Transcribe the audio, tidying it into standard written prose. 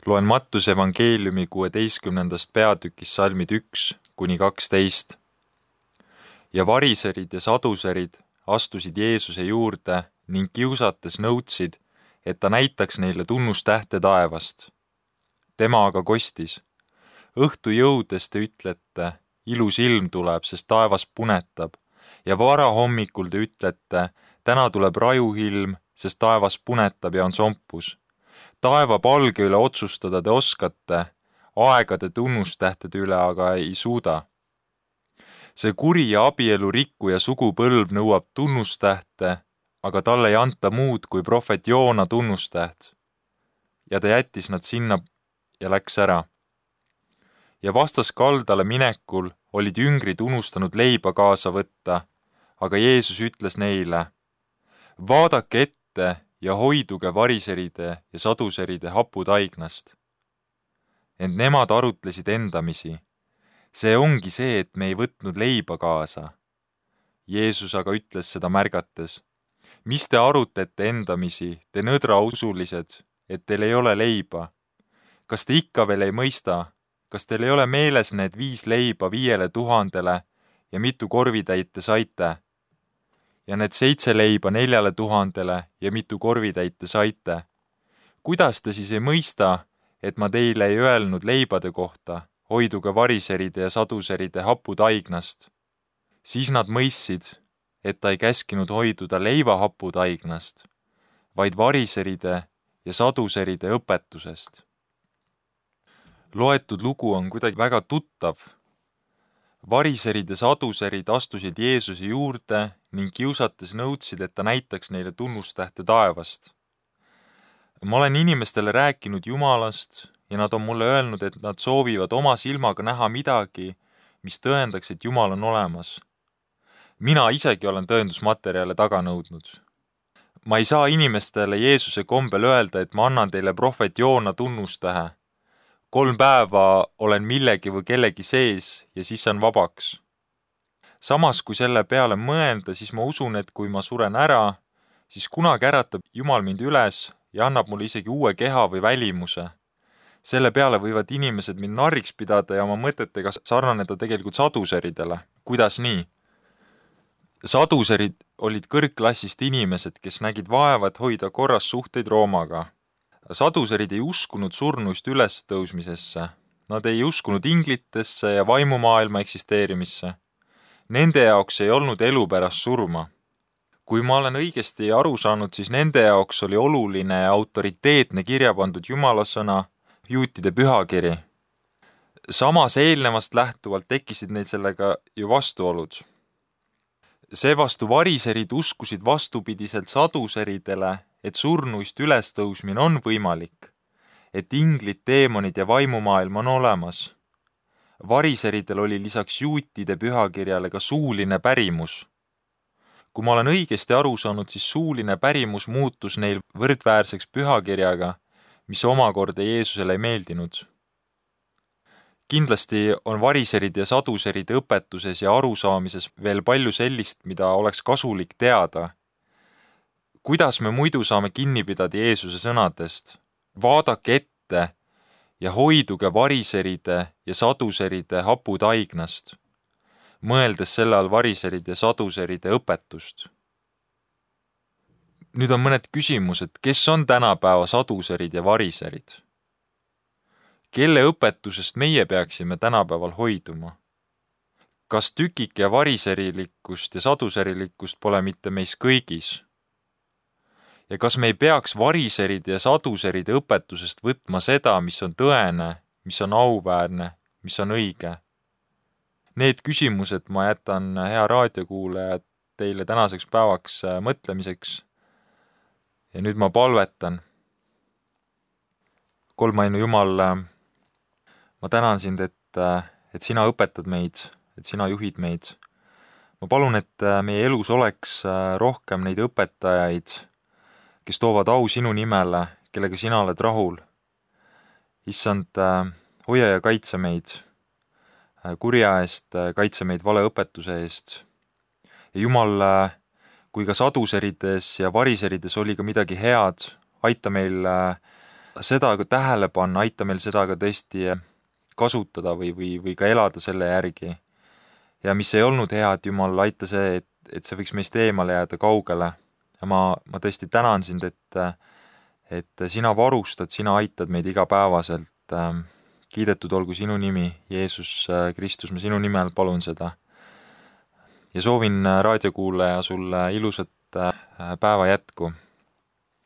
Loen Mattuse evangeeliumi 16. peatükis salmid 1–12. Ja variserid ja saduserid astusid Jeesuse juurde ning kiusates nõudsid, et ta näitaks neile tunnustähte taevast. Tema aga kostis. Õhtu jõudes te ütlete, ilus ilm tuleb, sest taevas punetab, ja varahommikul te ütlete, täna tuleb rajuilm, sest taevas punetab ja on sompus. Taeva palge üle otsustada te oskate, aegade tunnustähtede üle aga ei suuda. See kuri ja abielu rikkuja sugupõlv nõuab tunnustähte, aga talle ei anta muud kui prohvet Joona tunnustäht. Ja ta jättis nad sinna ja läks ära. Ja vastaskaldale minekul olid jüngrid unustanud leiba kaasa võtta, aga Jeesus ütles neile, vaadake ette ja hoiduge variseride ja saduseride haputaignast. Ent nemad arutlesid endamisi. See ongi see, et me ei võtnud leiba kaasa. Jeesus aga ütles seda märgates. Mis te arutlete endamisi, te nõdrausulised, et teil ei ole leiba? Kas te ikka veel ei mõista? Kas teil ei ole meeles need 5 leiba 5000 ja mitu korvitäit te saite? Ja need 7 leiba 4000 ja mitu korvitäit te saite? Kuidas te siis ei mõista, et ma teile ei öelnud leibade kohta, hoiduge variseride ja saduseride haputaignast? Siis nad mõistsid, et ta ei käskinud hoiduda leiva haputaignast, vaid variseride ja saduseride õpetusest. Loetud lugu on kuidagi väga tuttav. Variserid ja saduserid astusid Jeesuse juurde ning kiusates nõudsid, et ta näitaks neile tunnustähte taevast. Ma olen inimestele rääkinud Jumalast ja nad on mulle öelnud, et nad soovivad oma silmaga näha midagi, mis tõendaks, et Jumal on olemas. Mina isegi olen tõendusmaterjale taga nõudnud. Ma ei saa inimestele Jeesuse kombel öelda, et ma annan teile prohvet Joona tunnustähe. 3 päeva olen millegi või kellegi sees ja siis saan vabaks. Samas, kui selle peale mõelda, siis ma usun, et kui ma suren ära, siis kunagi äratab Jumal mind üles ja annab mulle isegi uue keha või välimuse. Selle peale võivad inimesed mind narriks pidada ja oma mõtetega sarnaneda tegelikult saduseridele. Kuidas nii? Saduserid olid kõrgklassist inimesed, kes nägid vaeva, et hoida korras suhteid Roomaga. Saduserid ei uskunud surnuist ülestõusmisesse. Nad ei uskunud inglitesse ja vaimumaailma eksisteerimisse. Nende jaoks ei olnud elu pärast surma. Kui ma olen õigesti aru saanud, siis nende jaoks oli oluline ja autoriteetne kirja pandud Jumala sõna, juutide pühakiri. Samas eelnevast lähtuvalt tekkisid neil sellega ju vastuolud. Seevastu variserid uskusid vastupidiselt saduseridele, et surnuist ülestõusmine on võimalik, et inglid, teemonid ja vaimumaailm on olemas. Variseridel oli lisaks juutide pühakirjale ka suuline pärimus. Kui ma olen õigesti aru saanud, siis suuline pärimus muutus neil võrdväärseks pühakirjaga, mis omakorda Jeesusele ei meeldinud. Kindlasti on variseride ja saduseride õpetuses ja arusaamises veel palju sellist, mida oleks kasulik teada. Kuidas me muidu saame kinni pidada Jeesuse sõnadest? Vaadake ette ja hoiduge variseride ja saduseride haputaignast, mõeldes selle all variseride ja saduseride õpetust. Nüüd on mõned küsimused, kes on tänapäeva saduserid ja variserid? Kelle õpetusest meie peaksime tänapäeval hoiduma? Kas tükike variserilikkust ja saduserilikkust pole mitte meis kõigis? Ja kas me ei peaks variseride ja saduseride õpetusest võtma seda, mis on tõene, mis on auväärne, mis on õige? Need küsimused ma jätan, hea raadiokuulajad, teile tänaseks päevaks mõtlemiseks. Ja nüüd ma palvetan. Kolmainu Jumal, ma tänan sind, et sina õpetad meid, et sina juhid meid. Ma palun, et meie elus oleks rohkem neid õpetajaid, kes toovad au sinu nimele, kellega sina oled rahul. Issand, hoia ja kaitse meid kurja eest, kaitse meid valeõpetuse eest. Ja Jumal, kui ka saduserides ja variserides oli ka midagi head, aita meil seda ka tähele panna, aita meil seda ka tõesti kasutada või ka elada selle järgi. Ja mis ei olnud hea, et Jumal, aita see, et see võiks meist eemale jääda kaugele. Ja ma tõesti tänan sind, et sina varustad, sina aitad meid igapäevaselt. Kiidetud olgu sinu nimi, Jeesus Kristus, ma sinu nimel palun seda. Ja soovin raadiokuulaja sulle ilusat päeva jätku.